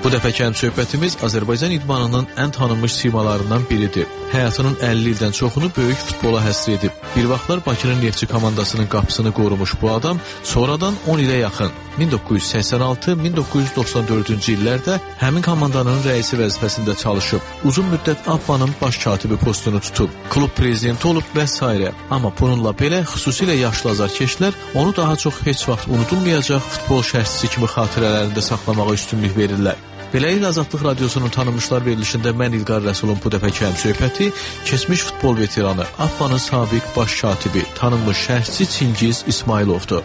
Bu dəfəki söhbətimiz Azərbaycan idmanının ən tanınmış simalarından biridir. Həyatının 50 ildən çoxunu böyük futbola həsr edib. Bir vaxtlar Bakının Neftçi komandasının qapısını qorumuş bu adam sonradan 10 ilə yaxın 1986-1994-cü illərdə həmin komandanın rəisi vəzifəsində çalışıb. Uzun müddət AFFA'nın baş katibi postunu tutub, klub prezidenti olub və s. Amma bununla belə xüsusilə yaşlı azarkeşlər onu daha çox heç vaxt unudulmayacaq futbol şərhçisi kimi xatirələrində saxlamağa üstünlük verirlər. Beləliklə Azadlıq Radiosunun tanınmışlar verilişində mən İlqar Rəsulun bu dəfəki söhbəti keçmiş futbol veteranı, AFFA'nın sabiq baş katibi, tanınmış şərhçi Çingiz İsmayılovdur.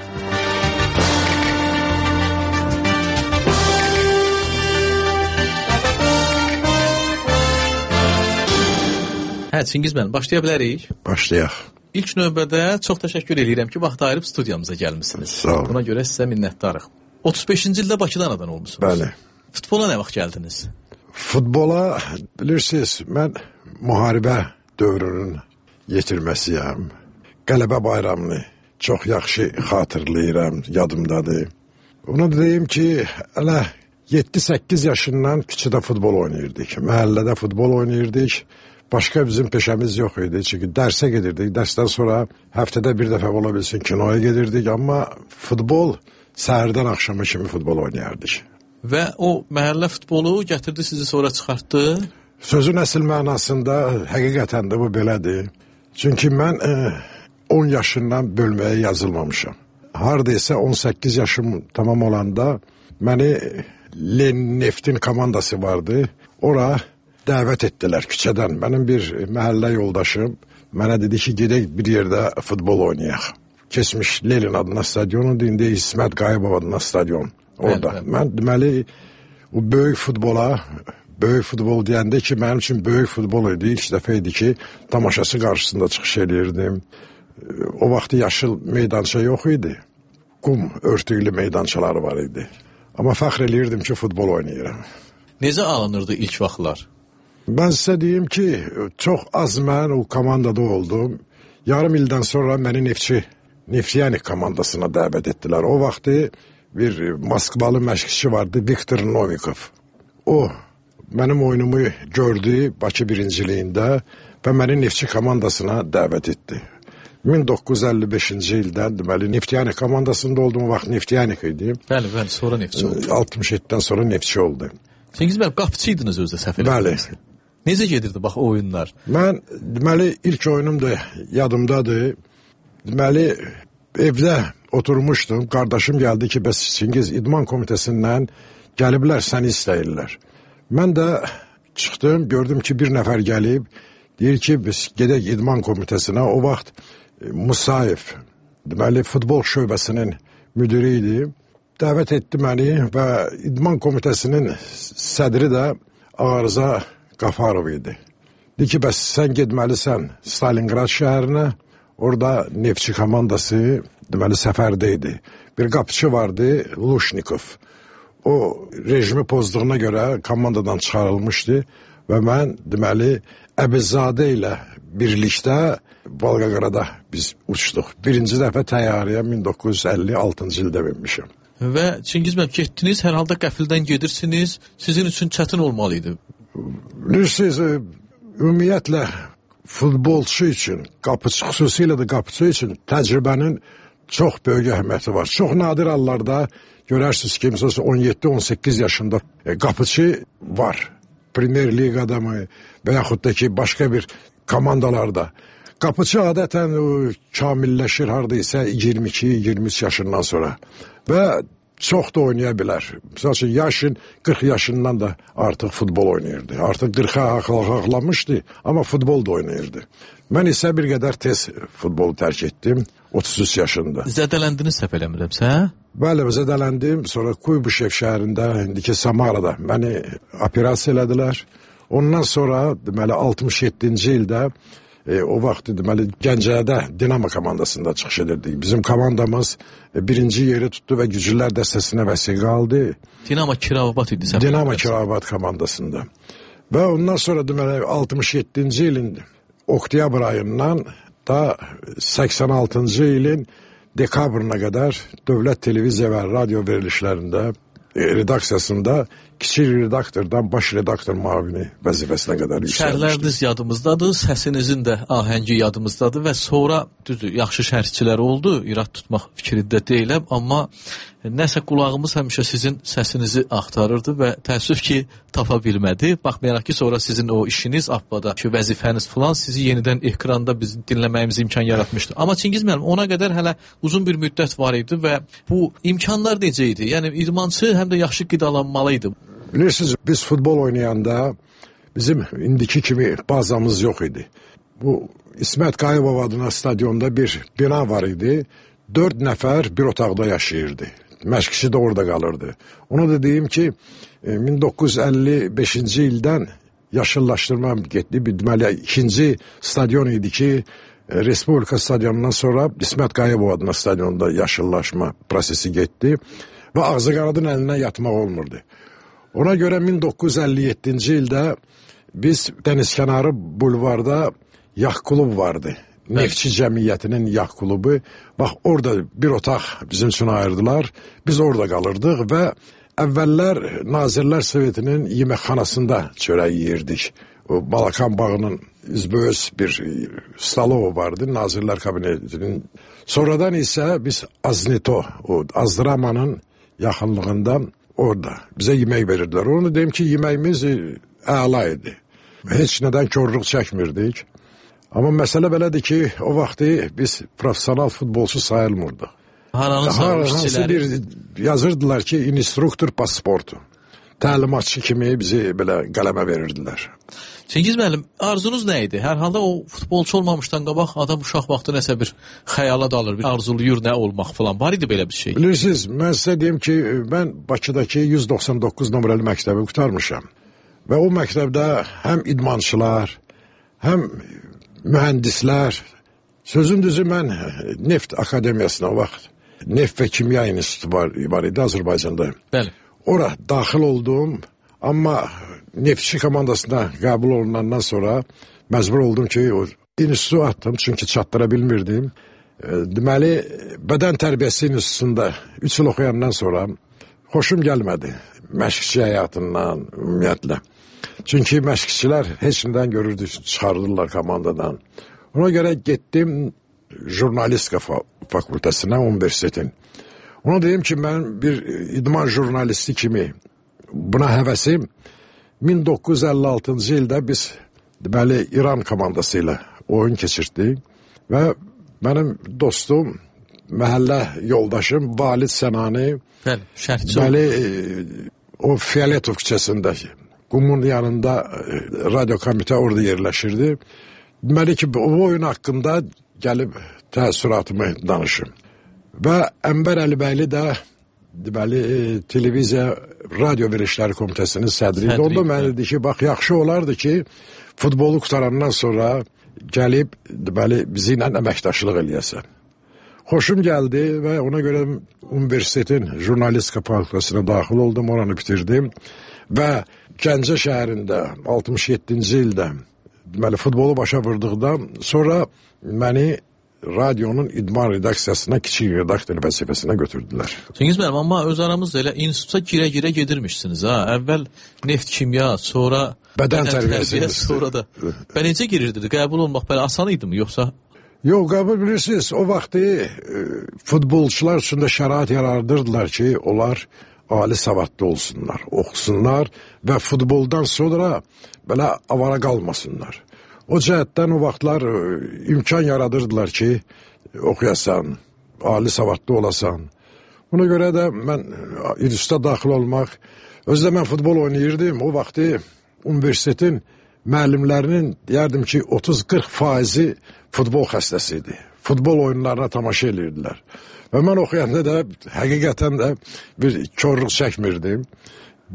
Çingiz müəllim, başlaya bilərik? Başlayaq. İlk növbədə çox təşəkkür edirəm ki, vaxt ayırıb studiyamıza gəlmisiniz. Sağ olun. Buna görə sizə minnətdarıq. 35-ci ildə Bakıda anadan olmusunuz. Bəli. Futbola nə vaxt gəldiniz? Futbola, bilirsiniz, mən müharibə dövrünün yetirməsiyəm. Qələbə bayramını çox yaxşı xatırlayıram, yadımdadır. Onu deyim ki, hələ 7-8 yaşından küçədə futbol oynayırdık. Məhəllədə futbol oynayırdık. Başqa bizim peşəmiz yox idi. Çünki dərsə gedirdik. Dərsdən sonra həftədə bir dəfə ola bilsin kinoya gedirdik. Amma futbol səhərdən axşama kimi futbol oynayardık. Və o məhəllə futbolu gətirdi, sizi sonra çıxartdı? Sözün əsl mənasında həqiqətən də bu belədir. Çünki mən 10 yaşından bölməyə yazılmamışam. Hardaysa 18 yaşım tamam olanda məni Lenin Neftin komandası vardı. Ora dəvət etdilər küçədən. Mənim bir məhəllə yoldaşım mənə dedi ki, gedək bir yerdə futbol oynayaq. Keçmiş Lenin adına stadionu, indi İsmət Qayıbov adına stadion. Orada. Mən deməli, o böyük futbol deyəndə ki, mənim üçün böyük futbol idi. İlk dəfə idi ki, tamaşası qarşısında çıxış edirdim. O vaxt yaşıl meydança yox idi. Qum örtüklü meydançaları var idi. Amma fəxr eləyirdim ki, futbol oynayıram. Necə alınırdı ilk vaxtlar? Ben size diyeyim ki çok az mən o komandada oldum. Yarım ildən sonra məni Neftçi komandasına dəvət etdilər. O vaxtı bir Moskvalı məşqçi vardı, Viktor Novikov. O mənim oyunumu gördü Bakı birinciliyində və məni Neftçi komandasına dəvət etdi. 1955-ci ildən deməli Neftçi komandasında olduğum vaxt Neftçi idi. Bəli, sonra Neftçi oldu. 67-dən sonra Neftçi oldu. Çingiz bəy, qapıçıydınız özdə səhv eləmirəmsə. Bəli. Necə gedirdi bax oyunlar? Mən deməli ilk oyunum da yadımdadır. Deməli evdə oturmuşdum. Qardaşım gəldi ki, bəs Çingiz idman komitəsindən gəliblər, səni istəyirlər. Mən də çıxdım, gördüm ki, bir nəfər gəlib. Deyir ki, biz gedək idman komitəsinə. O vaxt Musayev, deməli futbol şöbəsinin müdürü idi. Dəvət etdi məni və idman komitəsinin sədri də Arıza Qafarov idi. Deyir ki, bəs sən getməlisən Stalingrad şəhərinə, orada Neftçi komandası deməli səfərdə idi. Bir qapıçı vardı, Lushnikov. O rejimi pozduğuna görə komandadan çıxarılmışdı və mən deməli Əbizadə ilə birlikdə Volqaqarada biz uçduq. Birinci dəfə təyyarəyə 1956-cı ildə binmişim. Və Çingiz bəy, getdiniz, hər halda qəfildən gedirsiniz, sizin üçün çətin olmalıydı. Bilirsiniz, ümumiyyətlə futbolçu üçün, xüsusilə də qapıçı üçün təcrübənin çox böyük əhəmiyyəti var. Çox nadir hallarda görərsiniz ki, 17-18 yaşında qapıçı var. Premier Liqada mı və yaxud da ki, başqa bir komandalarda. Qapıçı adətən kamilləşir hardaysa 22-23 yaşından sonra və çox da oynaya bilər. Məsələn, yaşın 40 yaşından da artıq futbol oynayırdı. Artıq 40-a haqlamışdı, amma futbol da oynayırdı. Mən isə bir qədər tez futbolu tərk etdim, 33 yaşında. Zədələndiniz səhv eləmirəmsə? Bəli, zədələndim. Sonra Kuybuşev şəhərində, indiki Samarada məni operasiya elədilər. Ondan sonra, deməli, 67-ci ildə o vaxt deməli Gəncədə Dinamo komandasında çıxış edirdik. Bizim komandamız birinci yeri tutdu və Güclülər dəstəsinə vəsiqə aldı. Dinamo Kirabat idi. Dinamo Kirabat komandasında. Və ondan sonra deməli 67-ci ilin oktyabr ayından da 86-cı ilin dekabrına qədər dövlət televiziya və radio verilişlərində redaksiyasında kiçik redaktordan baş redaktor müavini vəzifəsinə qədər yüksəlmişdi. Şərhləriniz yadımızdadır, səsinizin də ahəngi yadımızdadır və sonra düzdür, yaxşı şərhçilər oldu, irad tutmaq fikrində deyiləm, amma nəsə qulağımız həmişə sizin səsinizi axtarırdı və təəssüf ki, tapa bilmədi. Baxmayaraq ki, sonra sizin o işiniz, Abbada ki, vəzifəniz falan sizi yenidən ekranda bizim dinləməyimiz imkan yaratmışdı. Amma Çingiz müəllim, ona qədər hələ uzun bir müddət var idi və bu imkanlar necə idi? Yəni, idmançı həm də yaxşı qidalanmalı idi. Bilirsiniz, biz futbol oynayanda bizim indiki kimi bazamız yox idi. Bu İsmət Qayıbov adına stadionda bir bina var idi. 4 nəfər bir otaqda yaşayırdı. Məşqçi də orada qalırdı. Ona da deyim ki, 1955-ci ildən yaşıllaşdırma getdi. Deməli, ikinci stadion idi ki, Respublika stadionundan sonra İsmət Qayıbov adına stadionda yaşıllaşma prosesi getdi və ağzı qanadın əlindən yatmaq olmurdu. Ona görə 1957-ci ildə biz dənizkənarı bulvarda yax klub vardı. Neftçi Cəmiyyətinin yax klubu. Bax, orada bir otaq bizim üçün ayırdılar. Biz orada qalırdıq və əvvəllər Nazirlər Sovetinin yeməkxanasında çörək yeyirdik. O Balakan bağının üzbəüz bir stalovu vardı Nazirlər Kabinetinin. Sonradan isə biz Aznito, o Azdramanın yaxınlığında orada bizə yemək verirdilər. Onu deyim ki, yeməyimiz əla idi. Heç nədən körlük çəkmirdik. Amma məsələ belədir ki, o vaxtı biz profesional futbolçu sayılmırdıq. Hansı bir yazırdılar ki, instruktor pasportu. Təlimatçı kimi bizi belə qələmə verirdilər. Çingiz müəllim, arzunuz nə idi? Hər halda o futbolçu olmamışdan qabaq adam uşaq vaxtı nəsə bir xəyala dalır, bir arzuluyur nə olmaq falan. Var idi belə bir şey? Bilirsiniz, mən sizə deyim ki, mən Bakıdakı 199 nömrəli məktəbi qurtarmışam. Və o məktəbdə həm idmançılar, həm mühəndislər, sözün düzü mən Neft Akademiyasına o vaxt, Neft və Kimya İnstitutu var idi Azərbaycanda. Bəli. Ora daxil oldum, amma Neftçi komandasına qəbul olunandan sonra məcbur oldum ki, o institutu atdım, çünki çatdıra bilmirdim. Deməli, bədən tərbiyəsi institutunda 3 il oxuyandan sonra xoşum gəlmədi məşqçi həyatından, ümumiyyətlə. Çünki məşqçilər heç nədən görürdü, çıxardılar komandadan. Ona görə getdim jurnalistika fakültəsinə, universitetin. Ona deyim ki, mən bir idman jurnalisti kimi buna həvəsim 1956-cı ildə biz deməli İran komandası ilə oyun keçirdik və mənim dostum, məhəllə yoldaşım Valid Sənani deməli o Fiyaletov küçəsindəki Qumun yanında radyo komitə orada yerləşirdi. Deməli ki, o oyun haqqında gəlib təəssüratımı danışım. Və Ənbər Əlibəyli də deməli televiziya radio verişləri komitəsinin sədri idi. Onda mən dedi ki, bax yaxşı olardı ki, futbolu qutarandan sonra gəlib deməli bizi ilə əməkdaşlıq eləyəsən. Xoşum gəldi və ona görə universitetin jurnalistika fakültəsinə daxil oldum, oranı bitirdim və Gəncə şəhərində 67-ci ildə deməli futbolu başa vurduqdan sonra məni radionun idman redaksiyasına kiçik redaktor vəzifəsinə götürdülər. Çingiz müəllim, amma öz aramızda elə instituta girə-girə gedirmişsiniz ha. Əvvəl neft kimya, sonra bədən tərbiyəsi, sonra da. Bə necə girirdiniz? Qəbul olmaq belə asan idi mi yoxsa? Yox, qəbul bilirsiniz, o vaxtı futbolçular üçün də şərait yaradırdılar ki, onlar ali savadlı olsunlar, oxusunlar və futboldan sonra belə avara qalmasınlar. O cəhətdən o vaxtlar imkan yaradırdılar ki, oxuyasan, ali savadlı olasan. Buna görə də mən instituta daxil olmaq, özdə mən futbol oynayırdım, o vaxtı universitetin müəllimlərinin deyərdim ki, 30-40% futbol xəstəsi idi. Futbol oyunlarına tamaşa edirdilər. Və mən oxuyanda da həqiqətən də bir körlük çəkmirdim.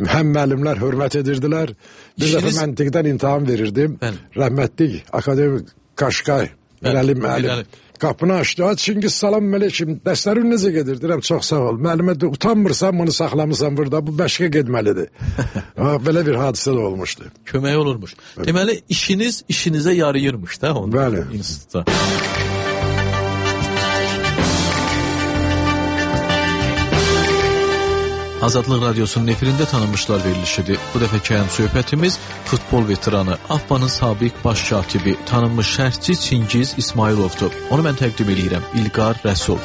Həm müəllimlər hörmət edirdilər. Bir dəfə məntiqdən imtahan verirdim. Rəhmətlik akademik Qaşqay, Mirəli müəllim qapını açdı. Çingiz, salam mələküm, dərslərin necə gedir? Deyirəm, çox sağ ol. Müəllimə də utanmırsan, bunu saxlamısan burada, bu məşqə getməlidir. Belə bir hadisə də olmuşdu. Kömək olurmuş. Deməli, işiniz işinizə yarayırmış da onda. Bəli. İnstitutda. Azadlıq Radiosunun efirində tanınmışlar verilişidir. Bu dəfəki həm söhbətimiz futbol veteranı, AFFA'nın sabiq baş katibi, tanınmış şərhçi Çingiz İsmayılovdur. Onu mən təqdim edirəm, İlqar Rəsul.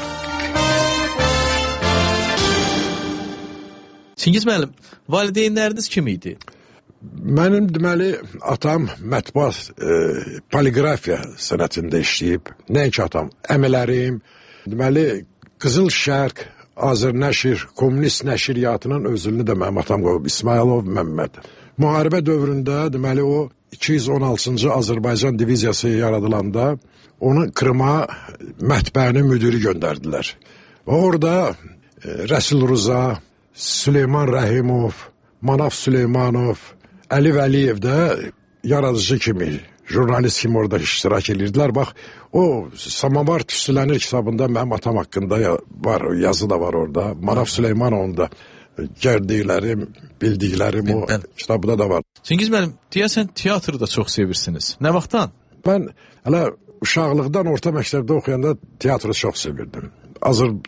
Çingiz müəllim, valideynləriniz kim idi? Mənim deməli atam mətbuat poliqrafiya sənətində işləyib. Nəinki atam, əmələrim, deməli Qızıl Şərq Azərnəşr, Kommunist nəşriyyatının özünü də mənim atam qoyub, İsmayılov Məmməd. Müharibə dövründə, deməli o 216-cı Azərbaycan diviziyası yaradılanda onu Krıma mətbəənin müdiri göndərdilər. Orada Rəsul Rıza, Süleyman Rəhimov, Manaf Süleymanov, Əli Vəliyev də yaradıcı kimi, jurnalist kimi orada iştirak edirdilər. Bax, o Samavar Tüstülənir kitabında mənim atam haqqında var, yazı da var orada. Manaf Süleymanovun da gərdiklərim, bildiklərim o kitabda da var. Çingiz müəllim, deyəsən teatrı da çox sevirsiniz. Nə vaxtdan? Mən hələ uşaqlıqdan orta məktəbdə oxuyanda teatrı çox sevirdim.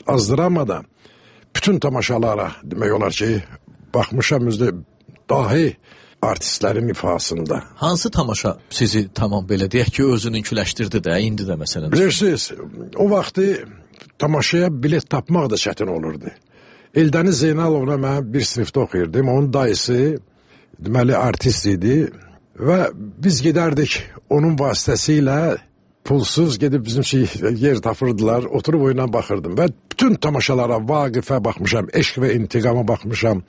Azdıramadan bütün tamaşalara demək olar ki, baxmışam özdə dahi artistlərin ifasında. Hansı tamaşa sizi tamam belə deyək ki, özününkiləşdirdi də, indi də məsələn? Bilirsiniz, o vaxtı tamaşaya bilet tapmaq da çətin olurdu. Eldəniz Zeynalovla mən bir sinifdə oxuyurdum. Onun dayısı, deməli, artist idi və biz gedərdik onun vasitəsilə pulsuz gedib bizim yer tapırdılar, oturub oyuna baxırdım və bütün tamaşalara, Vaqifə baxmışam, Eşq və İntiqama baxmışam,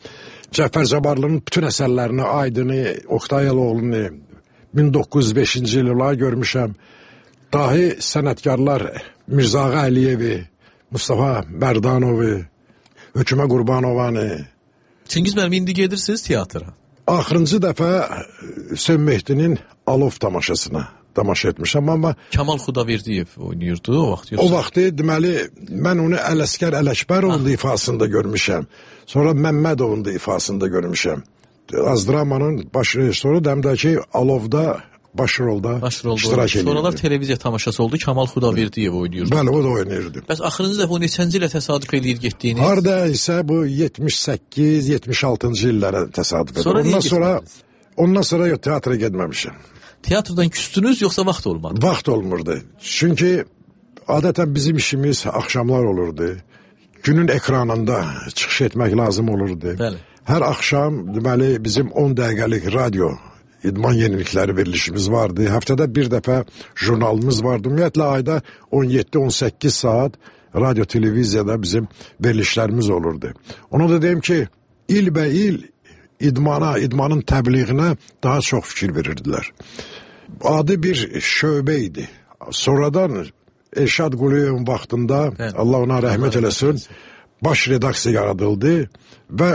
Cəfər Cabbarlının bütün əsərlərini, Aydını, Oktay Əloğlunu 1905-ci illər görmüşəm. Dahi sənətkarlar Mirzağa Əliyevi, Mustafa Mərdanovu, Hökümə Qurbanovanı. Çingiz müəllim, indi gedirsiniz teatra? Axırıncı dəfə Hüseyn Mehdinin Alov tamaşasına tamaşa etmişəm, amma Kamal Xudaverdiyev oynayırdı o vaxt. O vaxtı deməli mən onu Ələsgər Ələkbərovun da ifasında görmüşəm. Sonra Məmmədovun da ifasında görmüşəm. Azdramanın baş rejissoru dəmdəki Alovda baş rolda iştirak edirdi. Sonralar televiziya tamaşası oldu, Kamal Xudaverdiyev oynayırdı. Bəli, o da oynayırdı. Bəs axırıncı dəfə o neçənci ilə təsadüf eləyir getdiyiniz? Harda isə bu 78-76-cı illərə təsadüf edir. Ondan sonra teatra getməmişəm. Teatrdan küstünüz, yoxsa vaxt olmadı? Vaxt olmurdu. Çünki adətən bizim işimiz axşamlar olurdu. Günün ekranında çıxış etmək lazım olurdu. Bəli. Hər axşam deməli bizim 10 dəqiqəlik radio idman yenilikləri verilişimiz vardı. Həftədə bir dəfə jurnalımız vardı. Ümumiyyətlə ayda 17-18 saat radio televiziyada bizim verilişlərimiz olurdu. Ona da deyim ki, ilbəil idmanın təbliğinə daha çox fikir verirdilər. Adi bir şöbə idi. Sonradan Elşad Quliyevin vaxtında, Allah ona rəhmət eləsin, baş redaksiya yaradıldı və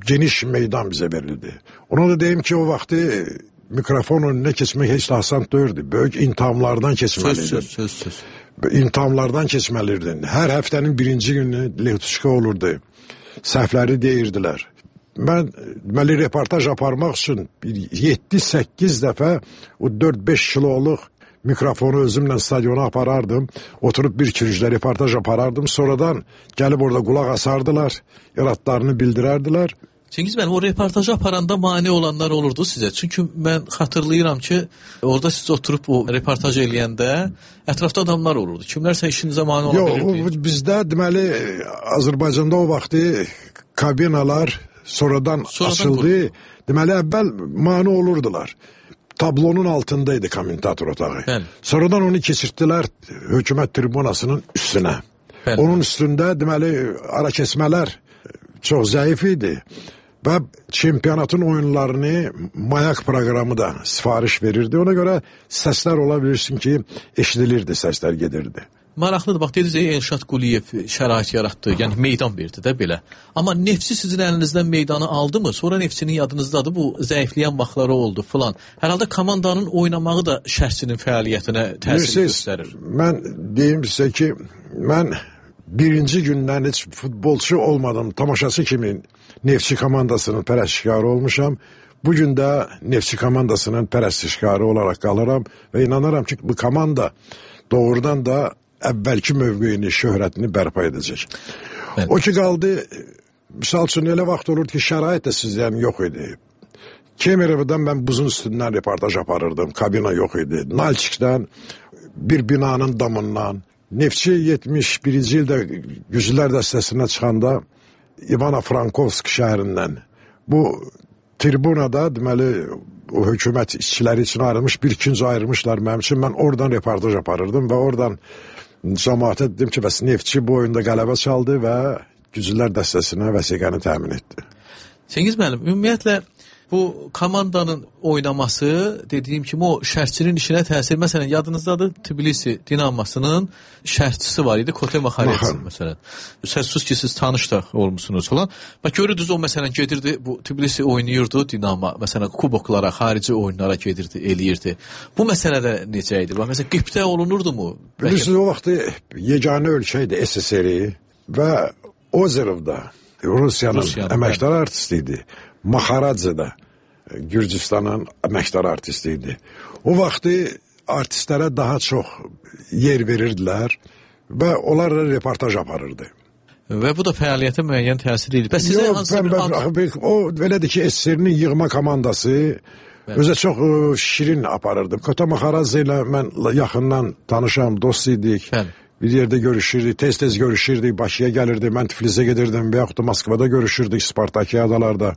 geniş meydan bizə verildi. Ona da deyim ki, o vaxtı mikrofon önünə keçmək heç də asan deyirdi. Böyük intihamlardan keçməliydin. Söz. İntihamlardan keçməliydin. Hər həftənin birinci günü Levtuşka olurdu. Səhvləri deyirdilər. Mən deməli reportaj aparmaq üçün 7-8 dəfə o 4-5 kiloluq mikrofonu özümlə stadiona aparardım. Oturub bir küncdə reportaj aparardım. Sonradan gəlib orada qulaq asardılar. İradlarını bildirərdilər. Çingiz müəllim, o reportajı aparanda mane olanlar olurdu sizə. Çünki mən xatırlayıram ki, orada siz oturub o reportaj eləyəndə ətrafda adamlar olurdu. Kimlərsə işinizə mane ola bilirdi. Yox, bizdə deməli Azərbaycanda o vaxtı kabinalar sonradan açıldı. Deməli əvvəl mane olurdular. Tablonun altındaydı kommentator otağı. Bəli. Sonradan onu keçirtdilər hökumət tribunasının üstünə. Bəli. Onun üstündə deməli ara keçmələr çox zəif idi. Və çempionatın oyunlarını Mayak proqramı da sifariş verirdi. Ona görə səslər ola bilirsin ki, eşidilirdi, səslər gedirdi. Maraqlıdır, bax dediniz, Elşad Quliyev şərait yaratdı, yəni meydan verdi də belə. Amma Neftçi sizin əlinizdən meydanı aldı mı? Sonra Neftçinin yadınızdadır, bu zəifləyən vaxtları oldu filan. Hər halda komandanın oynamağı da şəxsinin fəaliyyətinə təsir göstərir. Mən deyim sizə ki, mən birinci gündən heç futbolçu olmadım, tamaşaçı kimi Neftçi komandasının pərəstişkarı olmuşam. Bugün də Neftçi komandasının pərəstişkarı olaraq qalıram və inanıram ki, bu komanda doğrudan da əvvəlki mövqeyini, şöhrətini bərpa edəcək. Evet. O ki qaldı Misal üçün elə vaxt olurdu ki, şərait də sizdən yox idi. Kemerov'dan mən buzun üstündən reportaj aparırdım. Kabina yox idi. Nalçikdən bir binanın damından. Neftçi 71-ci ildə Güclülər dəstəsinə çıxanda İvano-Frankovsk şəhərindən bu tribunada deməli o hökumət işçiləri üçün ayrılmış bir ikinci ayrılmışlar mənim üçün. Mən oradan reportaj aparırdım və oradan cəmaata dedim ki, bəs Neftçi bu oyunda qələbə çaldı və Güclülər dəstəsinə vəsiqəni təmin etdi. Cengiz müəllim, ümumiyyətlə bu komandanın oynaması, dediyim kimi o şərtçinin işinə təsir. Məsələn, yadınızdadır, Tbilisi Dinamasının şərtçisi var idi, Kote Makharetsin məsələn. Sözsüz ki, siz tanış da olmuşsunuz falan. Bax, görürdünüz o məsələn gedirdi, bu Tbilisi oynayırdı, Dinama, məsələn, kuboklara, xarici oyunlara gedirdi, eləyirdi. Bu məsələdə necə idi? Bax, məsələn, qibtə olunurdu mu? Bilirsiniz, o vaxtı yeganə ölkə idi SSR-i və Ozerov'da Rusiyanın əməkdar artisti idi. Makharadze də Gürcüstanın əməkdar artisti idi. O vaxtı artistlərə daha çox yer verirdilər və onlarla reportaj aparırdı. Və bu da fəaliyyətə müəyyən təsir edir. Bəs sizə hansı bir ad... O belədir ki, SSR-nin yığma komandası özə çox şirin aparırdı. Kota Makharadze ilə mən yaxından tanışam, dost idik. Bəli. Bir yerdə görüşürdük, tez-tez görüşürdük, Bakıya gəlirdi, mən Tiflisə gedirdim və yaxud da Moskvada görüşürdük, Spartakiyadalarda.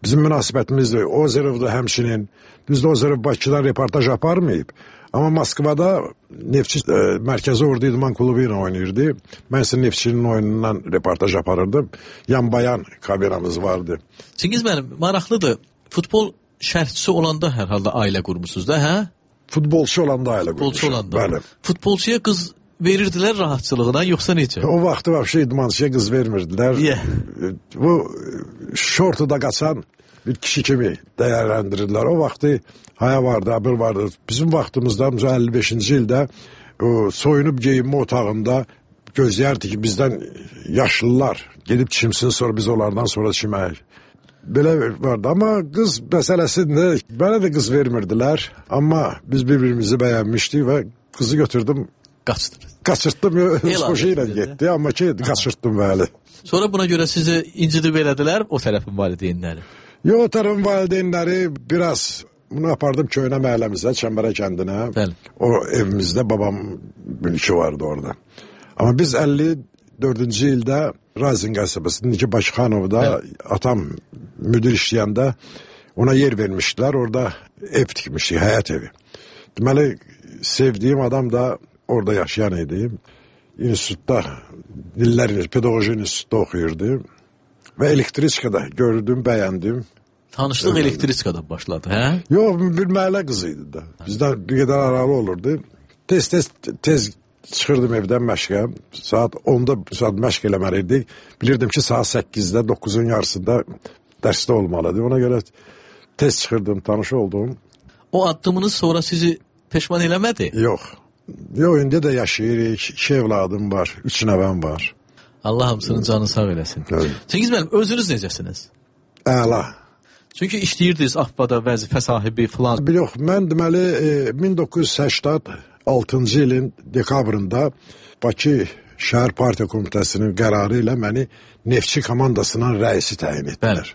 Bizim münasibətimizdir. Ozerov'da həmçinin, düzdür Ozerov Bakıda reportaj aparmayıb. Amma Moskvada Neftçi Mərkəzi Ordu İdman Klubu ilə oynayırdı. Mən isə Neftçinin oyunundan reportaj aparırdım. Yan-bayan kameramız vardı. Cengiz müəllim, maraqlıdır. Futbol şərhçisi olanda hər halda ailə qurmusunuz da, hə? Futbolçu olanda ailə qurmuşum. Bəli. Futbolçuya qız verirdilər rahatçılığına, yoxsa necə? O vaxtı vəbşə idmançıya qız vermirdilər. Bu şortuda qaçan bir kişi kimi dəyərləndirirlər. O vaxtı haya vardı, abır vardı. Bizim vaxtımızda 55-ci ildə soyunub geyinmə otağında gözləyərdi ki, bizdən yaşlılar gedib çimsin, sonra biz onlardan sonra çiməyik. Belə vardı. Amma qız məsələsində mənə də qız vermirdilər. Amma biz bir-birimizi bəyənmişdik və qızı götürdüm. Qaçırtdım, öz xoşu ilə getdi, amma ki, qaçırtdım bəli. Sonra buna görə sizi incidib elədilər o tərəfin valideynləri? Yox, o tərəfin valideynləri biraz, bunu apardım Köynə məhəlləmizdə, Çəmbərə kəndinə. Bəli. O evimizdə babam mülkü vardı orada. Amma biz 54-cü ildə Razin qəsəbəsində, ki, Bakıxanovda atam müdir işləyəndə ona yer vermişdilər, orada ev tikmişdik, həyət evi. Deməli, sevdiyim adam da orada yaşayan idi. İnstitutda, pedaqoji institutda oxuyurdu. Və elektriçkada gördüm, bəyəndim. Tanışlıq elektriçkada başladı, hə? Yox, bir məhəllə qızı idi da. Bizdən bir qədər aralı olurdu. Tez çıxırdım evdən məşqə. Saat 10-da məşq eləməliydik. Bilirdim ki, saat 8-də, 9-un yarısında dərsdə olmalıdır. Ona görə tez çıxırdım, tanış oldum. O addımınız sonra sizi peşman eləmədi? Yox. Yox, indi də yaşayırıq. 2 evladım var, 3 nəvəm var. Allah hamısının canını sağ eləsin. Cengiz müəllim, özünüz necəsiniz? Əla. Çünki işləyirdiniz AFBA-da vəzifə sahibi filan. Yox, mən deməli 1986-cı ilin dekabrında Bakı Şəhər Partiya Komitəsinin qərarı ilə məni Neftçi komandasının rəisi təyin etdilər.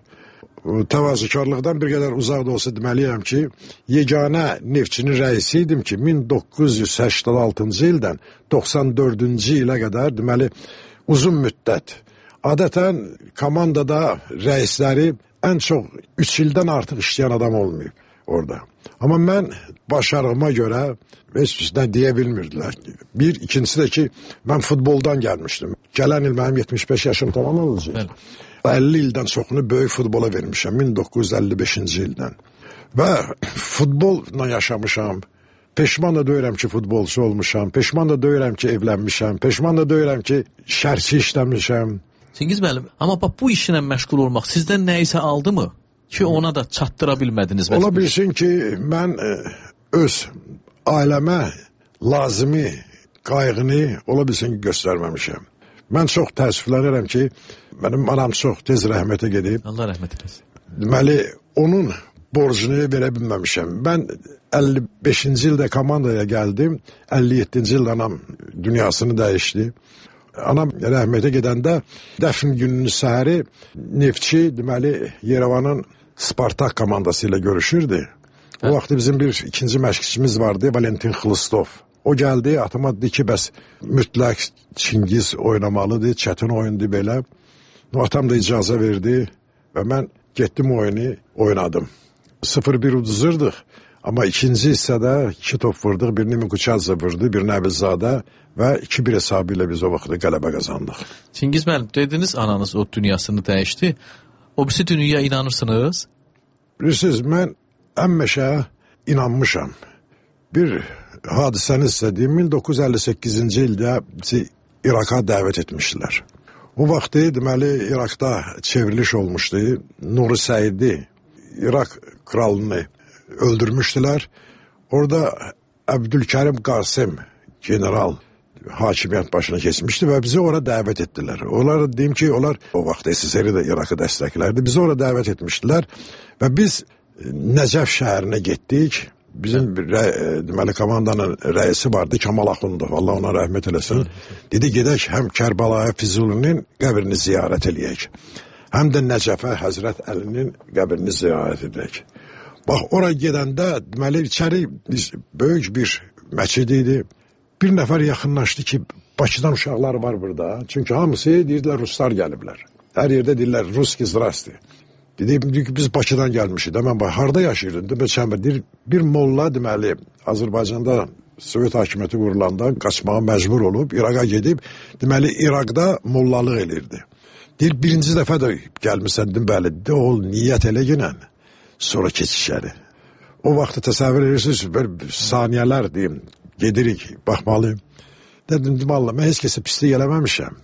Təvazökarlıqdan bir qədər uzaq da olsa deməliyəm ki, yeganə Neftçinin rəisi idim ki, 1986-cı ildən 94-cü ilə qədər deməli uzun müddət. Adətən komandada rəisləri ən çox 3 ildən artıq işləyən adam olmayıb orada. Amma mən başarığıma görə heç birisindən deyə bilmirdilər. Bir, ikincisi də ki, mən futboldan gəlmişdim. Gələn il mənim 75 yaşım tamam olacaq. 50 ildən çoxunu böyük futbola vermişəm, 1955-ci ildən. Və futbolla yaşamışam. Peşman da deyirəm ki, futbolçu olmuşam. Peşman da deyirəm ki, evlənmişəm. Peşman da deyirəm ki, şərhçi işləmişəm. Cengiz müəllim, amma bax bu işlə məşğul olmaq sizdən nə isə aldı mı ki, ona da çatdıra bilmədiniz? Ola bilsin ki, mən öz ailəmə lazımi qayğını ola bilsin ki, göstərməmişəm. Mən çox təəssüflənirəm ki, mənim anam çox tez rəhmətə gedib. Allah rəhmət eləsin. Deməli, onun borcunu verə bilməmişəm. Mən 55-ci ildə komandaya gəldim. 57-ci ildə anam dünyasını dəyişdi. Anam rəhmətə gedəndə dəfn gününün səhəri Neftçi deməli Yerevanın Spartak komandası ilə görüşürdü. O vaxt bizim bir ikinci məşqçimiz vardı, Valentin Xlistov. O gəldi, atama dedi ki, bəs mütləq Çingiz oynamalıdır, çətin oyundu belə. Atam da icazə verdi və mən getdim oynadım. 0-1 uduzurdıq, amma ikinci hissədə 2 top vurduq, birini Mikuchadze vurdu, birini Əbilzadə və 2-1 hesabı ilə biz o vaxtda qələbə qazandıq. Çingiz müəllim, dediniz ananız o dünyasını dəyişdi. O birisi dünyaya inanırsınız? Bilirsiniz, mən həmişə inanmışam. Bir hadisəni istədiyim 1958-ci ildə bizi İraqa dəvət etmişdilər. O vaxtı deməli İraqda çevriliş olmuşdu. Nuri Səidi İraq kralını öldürmüşdülər. Orada Əbdülkərim Qasim general hakimiyyət başına keçmişdi və bizi ora dəvət etdilər. Onlar deyim ki, onlar o vaxt SSR də İraqı dəstəklərdi. Bizi ora dəvət etmişdilər və biz Nəcəf şəhərinə getdik. Bizim deməli komandanın rəisi vardı, Kamal Axundov, Allah ona rəhmət eləsin. Dedi, gedək həm Kərbalaya Füzulinin qəbrini ziyarət eləyək, həm də Nəcəfə Həzrət Əlinin qəbrini ziyarət edək. Bax, ora gedəndə deməli içəri böyük bir məscid idi. Bir nəfər yaxınlaşdı ki, Bakıdan uşaqlar var burada. Çünki hamısı deyirdilər, Ruslar gəliblər. Hər yerdə deyirlər, Ruski zrasti. Dedim ki, biz Bakıdan gəlmişik. Mən harada yaşayırdım? Bir molla deməli Azərbaycanda Sovet hakimiyyəti qurulanda qaçmağa məcbur olub, İraqa gedib, deməli İraqda mollalıq elirdi. Deyir, birinci dəfə də gəlmişsən, dedim, bəli, de ol, niyyət elə günən, sonra keç içəri. O vaxtı təsəvvür edirsiniz, böyle saniyələr deyim, gedirik, baxmalıyım. Dedim, Allah, mən heç kəsə pislik eləməmişəm.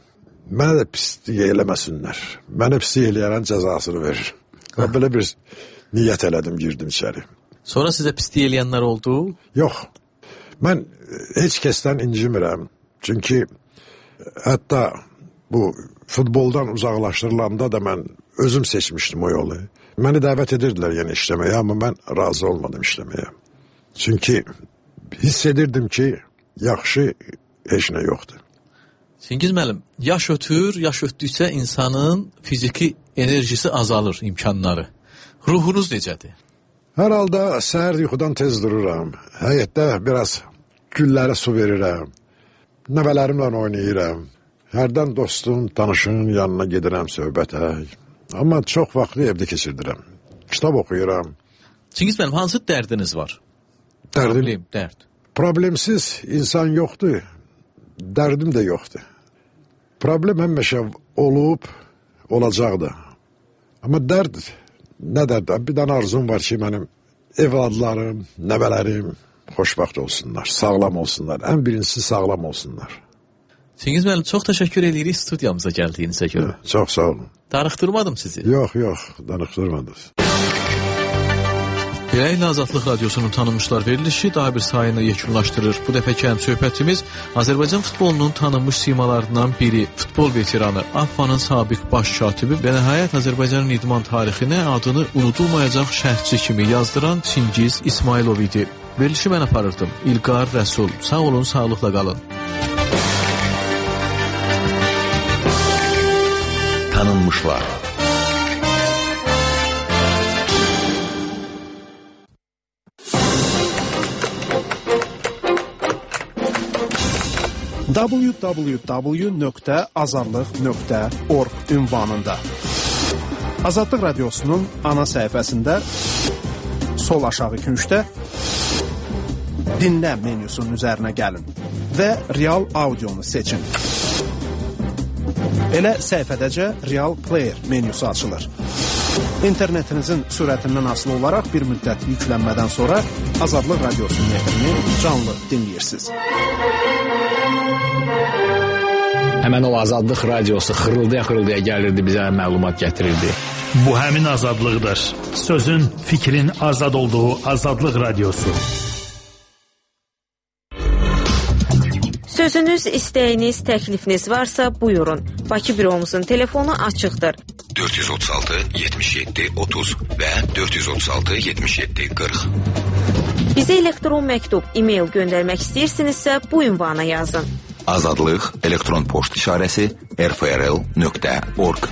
Mənə də pislik eləməsinlər. Mənə pislik eləyərən cəzasını verir. Belə bir niyyət elədim, girdim içəri. Sonra sizə pislik eləyənlər oldu? Yox. Mən heç kəsdən incimirəm. Çünki hətta bu futboldan uzaqlaşdırılanda da mən özüm seçmişdim o yolu. Məni dəvət edirdilər yəni işləməyə, amma mən razı olmadım işləməyə. Çünki hiss edirdim ki, yaxşı heç nə yoxdur. Çingiz müəllim, yaş ötdükcə insanın fiziki enerjisi azalır, imkanları. Ruhunuz necədir? Hər halda səhər yuxudan tez dururam. Həyətdə biraz güllərə su verirəm. Nəvələrimlə oynayıram. Hərdən dostum, tanışın yanına gedirəm söhbətə. Amma çox vaxtı evdə keçirdirəm. Kitab oxuyuram. Çingiz müəllim, hansı dərdiniz var? Dərd. Problemsiz insan yoxdur. Dərdim də yoxdur. Problem həmişə olub, olacaq da. Amma dərd, nə dərd? Bir dənə arzum var ki, mənim evladlarım, nəvələrim xoşbəxt olsunlar, sağlam olsunlar. Ən birincisi sağlam olsunlar. Çingiz müəllim, çox təşəkkür edirik studiyamıza gəldiyinizə görə. Çox sağ olun. Darıxdırmadım sizi. Yox, darıxdırmadınız. Beləliklə Azadlıq Radiosunun tanınmışlar verilişi daha bir sayını yekunlaşdırır. Bu dəfəki söhbətimiz Azərbaycan futbolunun tanınmış simalarından biri, futbol veteranı, AFFA-nın sabiq baş katibi və nəhayət Azərbaycanın idman tarixinə adını unudulmayacaq şərhçi kimi yazdıran Çingiz İsmailov idi. Verilişi mən aparırdım. İlqar Rəsul. Sağ olun, sağlıqla qalın. Tanınmışlar. www.azadlıq.org ünvanında Azadlıq Radiosunun ana səhifəsində sol aşağı küncdə dinlə menyusunun üzərinə gəlin və real audionu seçin. Elə səhifədəcə Real Player menyusu açılır. İnternetinizin sürətindən asılı olaraq bir müddət yüklənmədən sonra Azadlıq Radiosunun efrini canlı dinləyirsiniz. Həmən o Azadlıq Radiosu xırıldaya gəlirdi, bizə məlumat gətirirdi. Bu həmin azadlıqdır. Sözün, fikrin azad olduğu Azadlıq Radiosu. Sözünüz, istəyiniz, təklifiniz varsa buyurun. Bakı büromuzun telefonu açıqdır. 436 77 30 və 436 77 40. Bizə elektron məktub, e-mail göndərmək istəyirsinizsə bu ünvana yazın. Azadlıq elektron poçt işarəsi rfrl.org.